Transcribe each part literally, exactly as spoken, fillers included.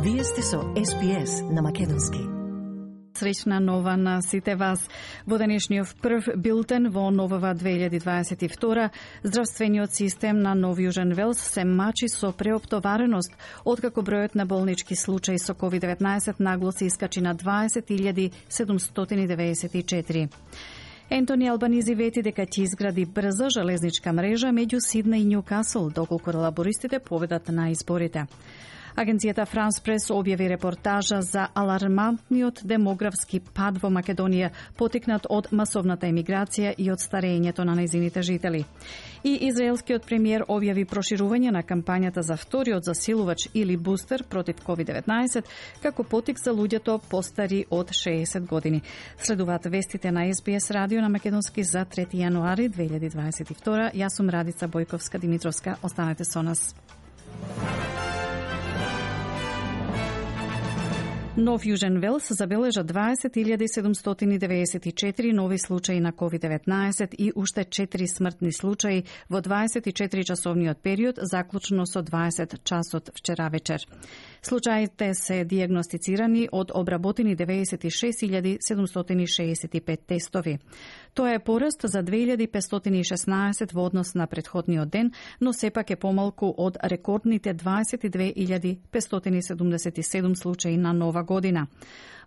Вие сте со Ес Би Ес на македонски. Среќна нова на сите вас. Во денешниот прв билтен во новава две илјади дваесет и втора, здравствениот систем на Нов Јужен Велс се мачи со преоптовареност, откако бројот на болнички случаи со ковид деветнаесет нагло се искачи на дваесет илјади седумстотини деведесет и четири. Ентони Албанизи вети дека ќе изгради брза железничка мрежа меѓу Сиднеј и Њукасл, доколку лабористите победат на изборите. Агенцијата Франс Прес објави репортажа за алармантниот демографски пад во Македонија, потикнат од масовната емиграција и од старењето на нејзините жители. И израелскиот премиер објави проширување на кампањата за вториот засилувач или бустер против ковид деветнаесет како потик за луѓето постари од шеесет години. Следуваат вестите на Ес Би Ес радио на македонски за трети јануари две илјади дваесет и втора. Јас сум Радица Бојковска Димитровска. Останете со нас. Нов Јужен Велс забележа дваесет илјади седумстотини деведесет и четири нови случаи на ковид деветнаесет и уште четири смртни случаи во дваесет и четири часовниот период, заклучно со дваесет часот вчера вечер. Случаите се дијагностицирани од обработени деветдесет и шест илјади седумстотини шеесет и пет тестови. Тоа е пораст за две илјади петстотини и шеснаесет во однос на претходниот ден, но сепак е помалку од рекордните дваесет и две илјади петстотини седумдесет и седум случаи на нова година.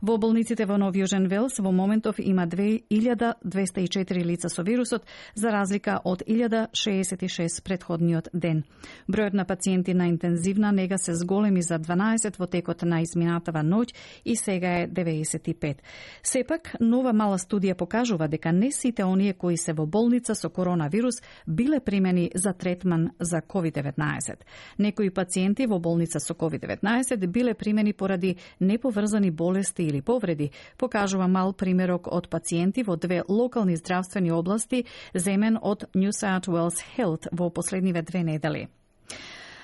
Во болниците во Нов Јужен Велс во моментов има две илјади двеста и четири лица со вирусот, за разлика од илјада шеесет и шест претходниот ден. Бројот на пациенти на интензивна нега се зголеми за дванаесет во текот на изминатава ноќ и сега е деветдесет и пет. Сепак, нова мала студија покажува дека не сите оние кои се во болница со коронавирус биле примени за третман за ковид деветнаесет. Некои пациенти во болница со ковид деветнаесет биле примени поради неповрзани болести или повреди, покажува мал примерок од пациенти во две локални здравствени области земен од New South Wales Health во последниве две недели.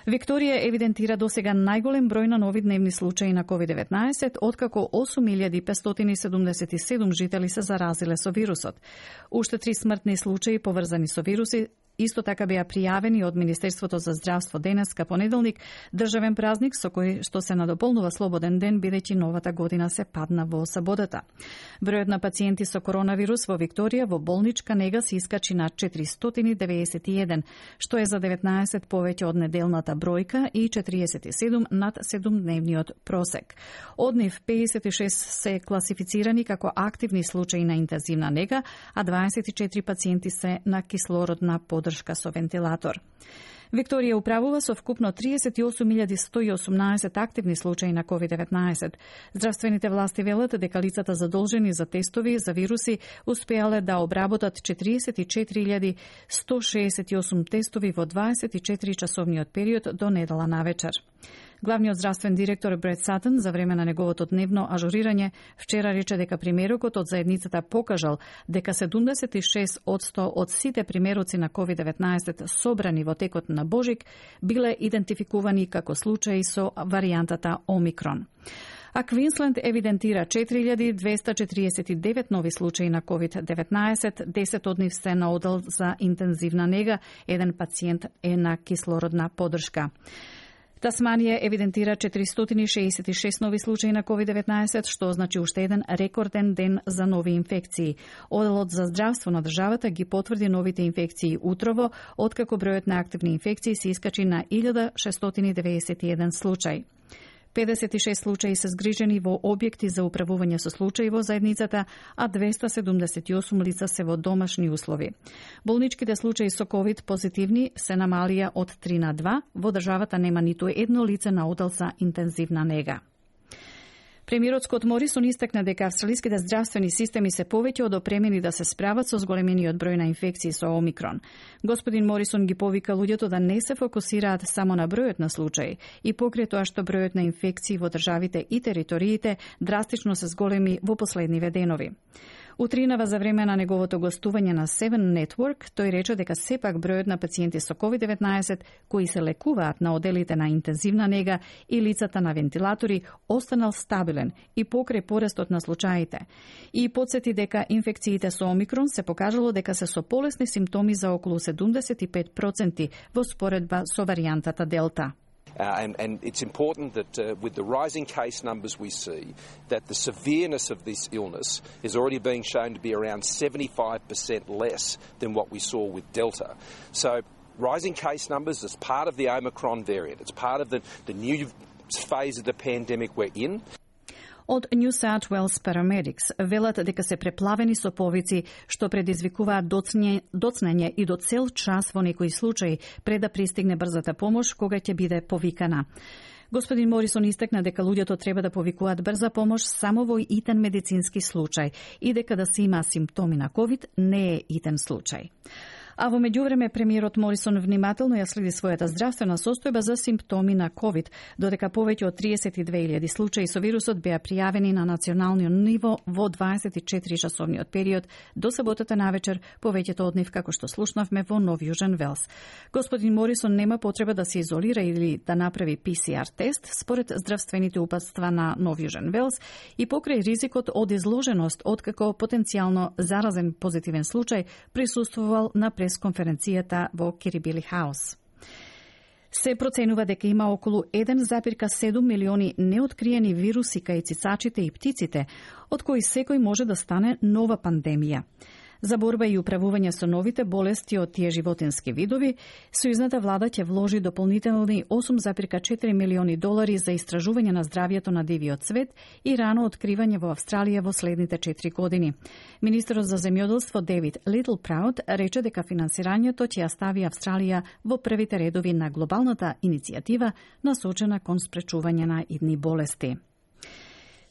Викторија евидентира досега најголем број на нови дневни случаи на ковид деветнаесет, откако осум илјади петстотини седумдесет и седум жители се заразиле со вирусот. Уште три смртни случаи поврзани со вируси исто така беа пријавени од Министерството за здравство денеска понеделник, државен празник со кој што се надополнува слободен ден бидејќи новата година се падна во саботата. Бројот на пациенти со коронавирус во Викторија во болничка нега се искачи на четиристотини деветдесет и еден, што е за деветнаесет повеќе од неделната бројка и четириесет и седум над седумдневниот просек. Од нив пеесет и шест се класифицирани како активни случаи на интензивна нега, а дваесет и четири пациенти се на кислородна поддршка со вентилатор. Викторија управува со вкупно триесет и осум илјади сто и осумнаесет активни случаи на ковид деветнаесет. Здравствените власти велат дека лицата задолжени за тестови за вируси успеале да обработат четириесет и четири илјади сто шеесет и осум тестови во дваесет и четири часовниот период до недела навечер. Главниот здравствен директор Бред Сатен за време на неговото дневно ажурирање вчера рече дека примерокот од заедницата покажал дека седумдесет и шест одсто од сите примероци на ковид деветнаесет собрани во текот на Божик биле идентификувани како случаи со варијантата Омикрон. А Квинсленд евидентира четири илјади двеста четириесет и девет нови случаи на ковид деветнаесет, десет од нив се на одел за интензивна нега, еден пациент е на кислородна поддршка. Тасманија евидентира четиристотини шеесет и шест нови случаи на ковид деветнаесет, што значи уште еден рекорден ден за нови инфекции. Оделот за здравство на државата ги потврди новите инфекции утрово, откако бројот на активни инфекции се искачи на илјада шестстотини деветдесет и еден случај. педесет и шест случаи се згрижени во објекти за управување со случаи во заедницата, а двеста седумдесет и осум лица се во домашни услови. Болничките случаи со ковид позитивни се намалија од три на два, во државата нема ниту едно лице на одел за интензивна нега. Премиерот Скот Морисон истакна дека австралиските здравствени системи се повеќе одопремени да се справат со зголемениот број на инфекции со Омикрон. Господин Морисон ги повика луѓето да не се фокусираат само на бројот на случаи и покрај тоа што бројот на инфекции во државите и териториите драстично се зголеми во последниве денови. Утринава за време на неговото гостување на Seven Network, тој рече дека сепак бројот на пациенти со ковид деветнаесет кои се лекуваат на оделите на интензивна нега и лицата на вентилатори останал стабилен и покрај порастот на случаите. И потсети дека инфекциите со Омикрон се покажало дека се со полесни симптоми за околу седумдесет и пет проценти во споредба со варијантата Делта. Uh, and, and it's important that uh, with the rising case numbers we see, that the severeness of this illness is already being shown to be around seventy-five percent less than what we saw with Delta. So rising case numbers is part of the Omicron variant. It's part of the, the new phase of the pandemic we're in. Од New South Wales Paramedics велат дека се преплавени со повици што предизвикуваат доцне, доцнење и до цел час во некои случаи пред да пристигне брзата помош кога ќе биде повикана. Господин Морисон истакна дека луѓето треба да повикуваат брза помош само во итен медицински случај и дека да се има симптоми на ковид не е итен случај. А во меѓувреме премиерот Морисон внимателно ја следи својата здравствена состојба за симптоми на ковид, додека повеќе од триесет и две илјади случаи со вирусот беа пријавени на национално ниво во дваесет и четири часовниот период до саботата навечер, повеќето од нив како што слушнавме во Нов Јужен Велс. Господин Морисон нема потреба да се изолира или да направи Пи Си Ар тест според здравствените упатства на Нов Јужен Велс и покрај ризикот од изложеност откако потенцијално заразен позитивен случај присуствувал на пресконференцијата во Кирибили Хаус. Се проценува дека има околу еден запирка седум милиони неоткриени вируси кај цицачите и птиците, од кои секој може да стане нова пандемија. За борба и управување со новите болести од тие животински видови, сојузната влада ќе вложи дополнителни осум запирка четири милиони долари за истражување на здравјето на дивиот свет и рано откривање во Австралија во следните четири години. Министерот за земјоделство Дейвид Литлпраут рече дека финансирањето ќе ја стави Австралија во првите редови на глобалната иницијатива насочена кон спречување на идни болести.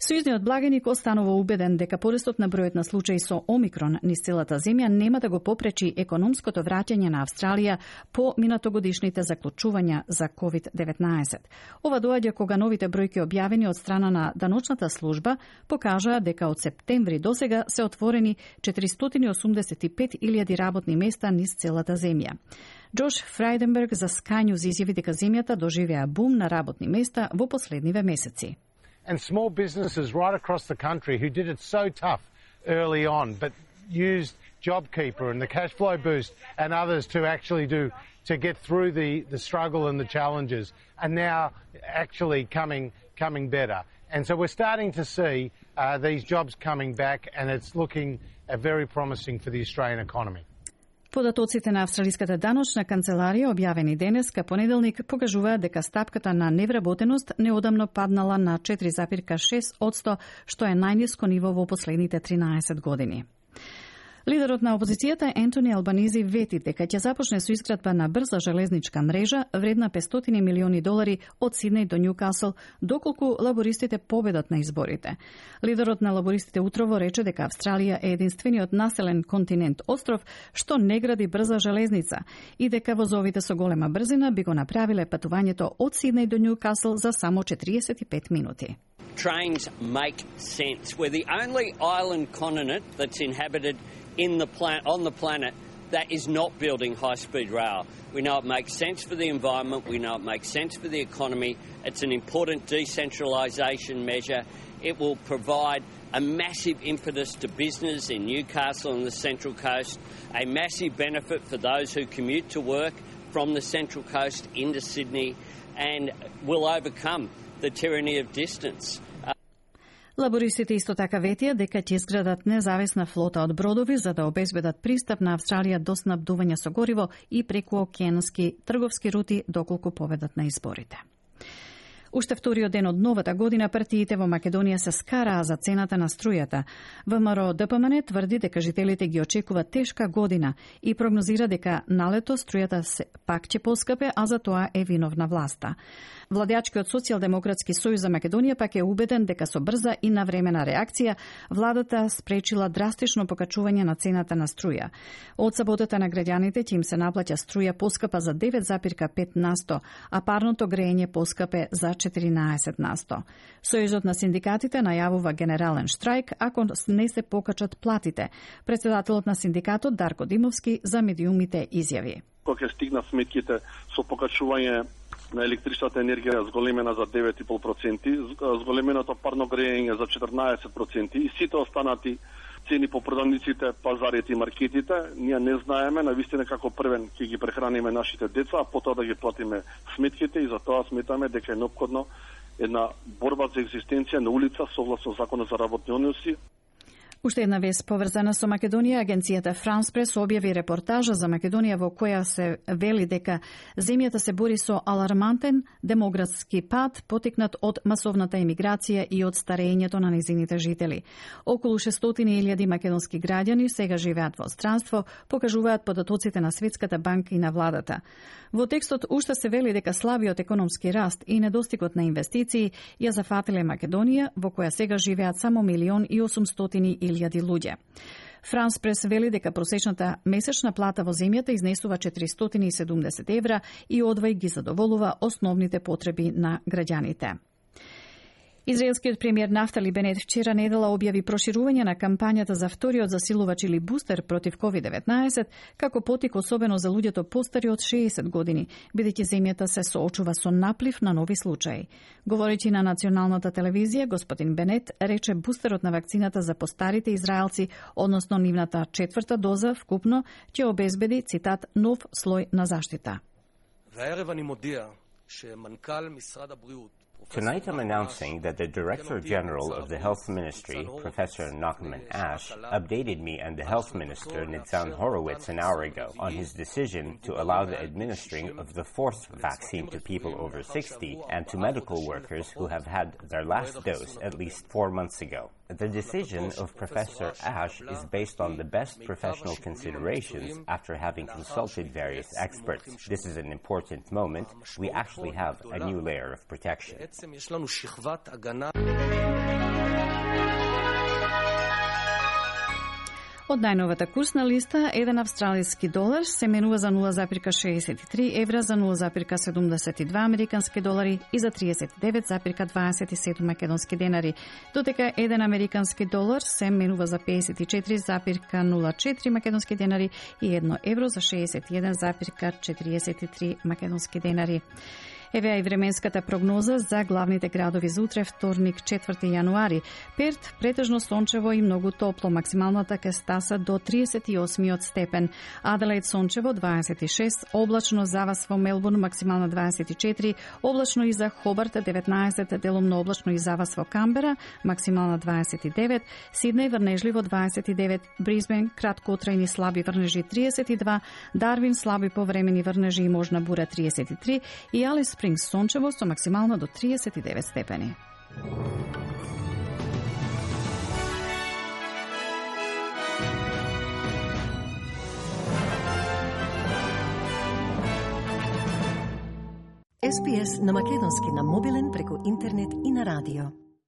Сојузниот благеник останува убеден дека порастот на бројот на случаи со Омикрон низ целата земја нема да го попречи економското враќање на Австралија по минатогодишните заклучувања за ковид деветнаесет. Ова доаѓа кога новите бројки објавени од страна на даночната служба покажаа дека од септември досега се отворени четиристотини и осумдесет и пет илјади работни места низ целата земја. Джош Фрајденберг за Sky News изјави дека земјата доживеа бум на работни места во последниве месеци. And small businesses right across the country who did it so tough early on, but used JobKeeper and the cash flow boost and others to actually do to get through the, the struggle and the challenges, are now actually coming coming better. And so we're starting to see uh, these jobs coming back, and it's looking uh, very promising for the Australian economy. Податоците на Австралиската даночна канцеларија објавени денеска понеделник покажуваат дека стапката на невработеност неодамно паднала на четири запирка шест одсто, што е најниско ниво во последните тринаесет години. Лидерот на опозицијата Ентони Албанизи вети дека ќе започне со изградба на брза железничка мрежа вредна петстотини милиони долари од Сиднеј до Њукасл, доколку лабористите победат на изборите. Лидерот на лабористите утрово рече дека Австралија е единствениот населен континент остров што не гради брза железница и дека возовите со голема брзина би го направиле патувањето од Сиднеј до Њукасл за само четириесет и пет минути. Trains make sense. We're the only island continent that's inhabited in the plan on the planet that is not building high-speed rail. We know it makes sense for the environment. We know it makes sense for the economy. It's an important decentralisation measure. It will provide a massive impetus to business in Newcastle and the Central Coast, a massive benefit for those who commute to work from the Central Coast into Sydney, and will overcome the tyranny of distance. Лабористите исто така ветија дека ќе изградат независна флота од бродови за да обезбедат пристап на Австралија до снабдување со гориво и прекуокеански трговски рути доколку победат на изборите. Уште вториот ден од новата година партиите во Македонија се скараа за цената на струјата. ВМРО Д П М Н тврди дека жителите ги очекува тешка година и прогнозира дека налето струјата се пак ќе поскапе, а за тоа е виновна власта. Владеачкиот Социјалдемократски сојуз за Македонија пак е убеден дека со брза и навремена реакција владата спречила драстично покачување на цената на струја. Од саботата на граѓаните ќе им се наплаќа струја поскапа за девет запирка пет насто, а парното грејење поскапе за четиринаесет насто. Сојузот на синдикатите најавува генерален штрајк ако не се покачат платите. Председателот на синдикатот Дарко Димовски за медиумите изјави. Кога ќе стигнат сметките со покачување на електричната енергија зголемена за девет и пет проценти, зголеменото парно грејење за четрнаесет проценти и сите останати цени по продавниците, пазарите и маркетите. Ние не знаеме навистина како првен ќе ги прехраниме нашите деца, а потоа да ги платиме сметките и затоа сметаме дека е неопходно една борба за екзистенција на улица согласно законот за работни односи. Уште една вест поврзана со Македонија, агенцијата France Press објави репортажа за Македонија во која се вели дека земјата се бори со алармантен демографски пад потекнат од масовната емиграција и од старењето на незините жители. Околу шестстотини илјади македонски граѓани сега живеат во странство, покажуваат податоците на Светската банка и на владата. Во текстот уште се вели дека слабиот економски раст и недостигот на инвестиции ја зафатиле Македонија, во која сега живеат само милион и осумстотини илјади луѓе. France Press вели дека просечната месечна плата во земјата изнесува четиристотини и седумдесет евра и одвај ги задоволува основните потреби на граѓаните. Израелскиот премиер Нафтали Бенет вчера недела објави проширување на кампањата за вториот засилувач или бустер против ковид деветнаесет како потик особено за луѓето постари од шеесет години, бидејќи земјата се соочува со наплив на нови случаи. Говорејќи на националната телевизија, господин Бенет рече бустерот на вакцината за постарите израелци, односно нивната четврта доза вкупно, ќе обезбеди, цитат, нов слој на заштита. Tonight I'm announcing that the Director General of the Health Ministry, Professor Nachman Ash, updated me and the Health Minister, Nitzan Horowitz, an hour ago on his decision to allow the administering of the fourth vaccine to people over sixty and to medical workers who have had their last dose at least four months ago. The decision of Professor Ash is based on the best professional considerations after having consulted various experts. This is an important moment. We actually have a new layer of protection. Од најновата курсна листа, еден австралиски долар се менува за нула зарез шеесет и три евра, за нула зарез седумдесет и два американски долари и за триесет и девет зарез дваесет и седум македонски денари, додека еден американски долар се менува за педесет и четири зарез нула четири македонски денари и едно евро за шеесет и еден зарез четириесет и три македонски денари. Еве и временската прогноза за главните градови за утре, вторник, четврти јануари. Перт претежно сончево и многу топло, максималната ќе стаса до триесет и осми степен. Аделаид сончево дваесет и шест, облачно за вас во Мелбурн максимална дваесет и четири, облачно и за Хобарт деветнаесет, делумно облачно и за вас во Камбера максимална дваесет и девет, Сиднеј врнежливо дваесет и девет, Брисбен краткотрајни слаби врнежи триесет и два, Дарвин слаби повремени врнежи и можна бура триесет и три и Алис Спрингс сончево со максимално до триесет и девет степени. Ес Би Ес на македонски на мобилен преку интернет и на радио.